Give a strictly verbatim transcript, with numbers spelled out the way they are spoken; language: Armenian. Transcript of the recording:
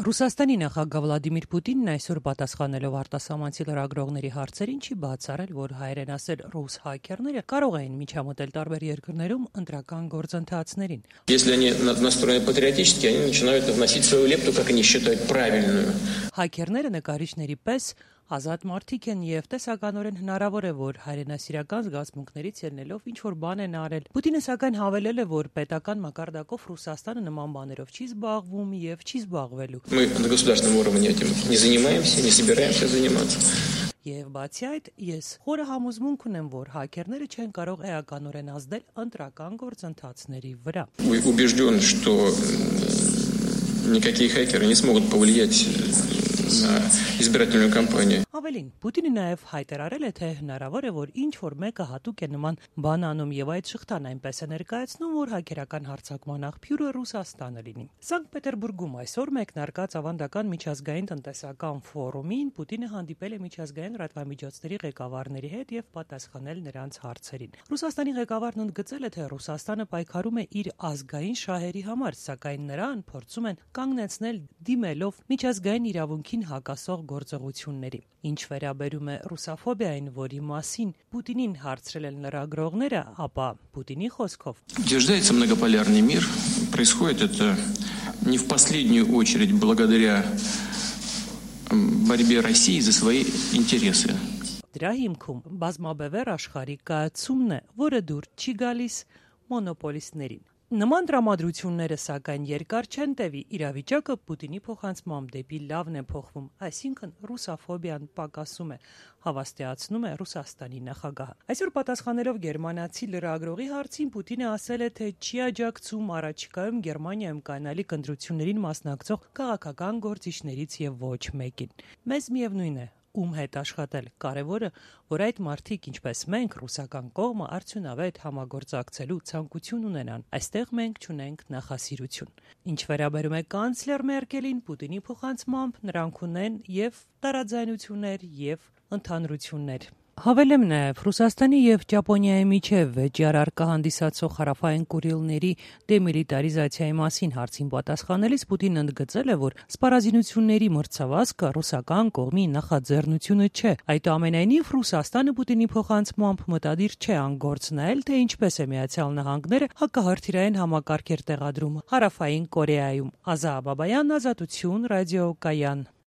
Ռուսաստանի նախագահ Վլադիմիր Պուտինն այսօր պատասխանելով արտասահմանցի լրագրողների հարցերին չի բացառել, որ հայերեն ասել ռուս հաքերները կարող էին միջամտել տարբեր երկրներում ընտրական գործընթացներին։ Если они настроены патриотически, они начинают вносить свою лепту, как они считают правильную. Հաքերները նկարիչների պես ազատ մարդիկ են եւ տեսականորեն հնարավոր է, որ հայրենասիրական զգացմունքներից ելնելով ինչ-որ բան են արել։ Պուտինը սակայն հավելել է, որ պետական մակարդակով Ռուսաստանը նման բաներով չի զբաղվում եւ չի զբաղվելու։ Мы на государственном уровне этим не занимаемся, не собираемся заниматься. Եվ բացի այդ, ես խորը համոզմունք ունեմ, որ հաքերները չեն կարող էականորեն ազդել ընտրական գործընթացների վրա։ Убежден, что никакие хакеры не смогут повлиять на избирательную кампанию. Ավելին, Պուտինը նաև հայտարարել է, թե հնարավոր է, որ ինչ-որ մեկը հատուկ է նման բան անում եւ այդ շղթան այնպես է ներկայացնում, որ հաքերական հարձակման աղբյուրը Ռուսաստանը լինի։ Սանկտ Պետերբուրգում այսօր մեկնարկած ավանդական միջազգային տնտեսական ֆորումին Պուտինը հանդիպել է միջազգային լրատվամիջոցների ղեկավարների հետ եւ պատասխանել նրանց հարցերին։ Ռուսաստանի ղեկավարն ընդգծել է, թե Ռուսաստանը պայքարում է իր ազգային շահերի համար, սակայն նրան փորձում են կանգնեցնել դիմելով միջազգային իրավունքին հակասող գործողությունների։ Ինչ վերաբերում է ռուսաֆոբիային, որի մասին Պուտինին հարցրել են լրագրողները, ապա Պուտինի խոսքով Утверждается многополярный мир. Происходит это не в последнюю очередь благодаря борьбе России за свои интересы. Դրա հիմքում բազմաբևեռ աշխարհի կայացումն է, որը դուր չի գալիս մոնոպոլիստներին։ Նման տրամադրությունները սակայն երկար չեն տևի, իրավիճակը Պուտինի փոխանցմամբ դեպի լավն է փոխվում, այսինքն ռուսաֆոբիան պակասում է, հավաստիացնում է Ռուսաստանի նախագահը։ Այսօր պատասխանելով գերմանացի լրագրողի հարցին Պուտինը ասել է, թե չի աջակցում առաջիկայում Գերմանիայում կայանալիք ընտրություններին մասնակցող քաղաքական գործիչներից եւ ոչ մեկին։ Մեզ միևնույն է ում հետ աշխատել։ Կարևորը, որ այդ մարդիկ, ինչպես մենք, ռուսական կողմը արդյունավետ համագործակցելու ցանկություն ունենան։ Այստեղ մենք չունենք նախասիրություն։ Ինչ վերաբերում է կանցլեր Մերկելին, Պուտինի փոխանցմամբ նրանք ունեն եւ տարաձայնություններ եւ ընդհանրություններ։ Հավելեմ նաև Ռուսաստանի եւ Ճապոնիայի միջև վեճար առկա հանդիսացող հարավային Կուրիլների դեմիլիտարիզացիայի մասին հարցին պատասխանելիս Պուտինն ընդգծել է, որ սպառազինությունների մրցավազքը ռուսական կողմի նախաձեռնությունը չէ։ Այդուամենայնիվ Ռուսաստանը Պուտինի փոխանցմամբ մտադիր չէ անգործնայել, թե ինչպես է Միացյալ Նահանգները հակահրթիռային համակարգեր տեղադրում հարավային Կորեայում։ Ազա Բաբայան, Ազատություն, ռադիոկայան։